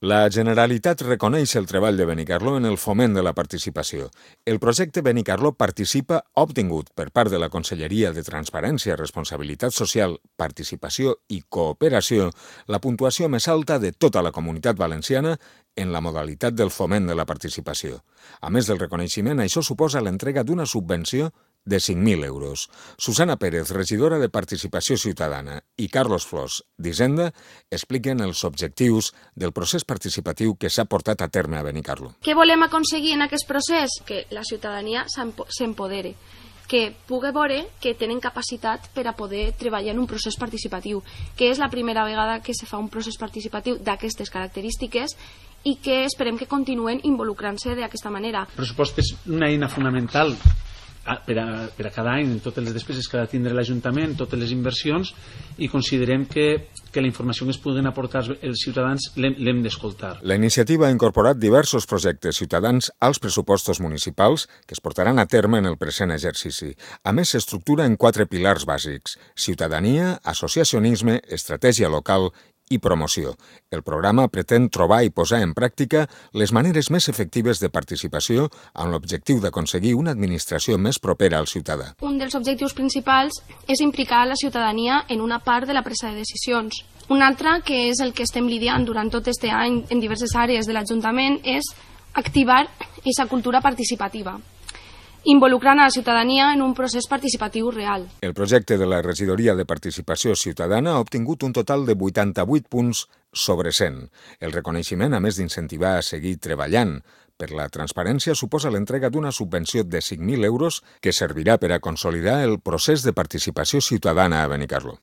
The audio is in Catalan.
La Generalitat reconeix el treball de Benicarló en el foment de la participació. El projecte Benicarló Participa ha obtingut per part de la Conselleria de Transparència, Responsabilitat Social, Participació i Cooperació la puntuació més alta de tota la Comunitat Valenciana en la modalitat del foment de la participació. A més del reconeixement, això suposa l'entrega d'una subvenció de 5.000 euros. Susana Pérez, regidora de Participació Ciutadana, i Carlos Flors, d'Hisenda, expliquen els objectius del procés participatiu que s'ha portat a terme a Benicarló. Què volem aconseguir en aquest procés? Que la ciutadania s'empodere, que pugui veure que tenen capacitat per a poder treballar en un procés participatiu, que és la primera vegada que se fa un procés participatiu d'aquestes característiques i que esperem que continuen involucrant-se d'aquesta manera. El pressupost és una eina fonamental per a cada any, en totes les despeses que ha de tindre l'Ajuntament, totes les inversions, i considerem que la informació que es puguen aportar els ciutadans l'hem d'escoltar. La iniciativa ha incorporat diversos projectes ciutadans als pressupostos municipals que es portaran a terme en el present exercici. A més, s'estructura en 4 pilars bàsics: ciutadania, associacionisme, estratègia local i promoció. El programa pretén trobar i posar en pràctica les maneres més efectives de participació amb l'objectiu d'aconseguir una administració més propera al ciutadà. Un dels objectius principals és implicar la ciutadania en una part de la presa de decisions. Un altre, que és el que estem lidiant durant tot aquest any en diverses àrees de l'Ajuntament, és activar aquesta cultura participativa, involucrant a la ciutadania en un procés participatiu real. El projecte de la Regidoria de Participació Ciutadana ha obtingut un total de 88 punts sobre 100. El reconeixement, a més d'incentivar a seguir treballant per la transparència, suposa l'entrega d'una subvenció de 5.000 euros que servirà per a consolidar el procés de participació ciutadana a Benicarló.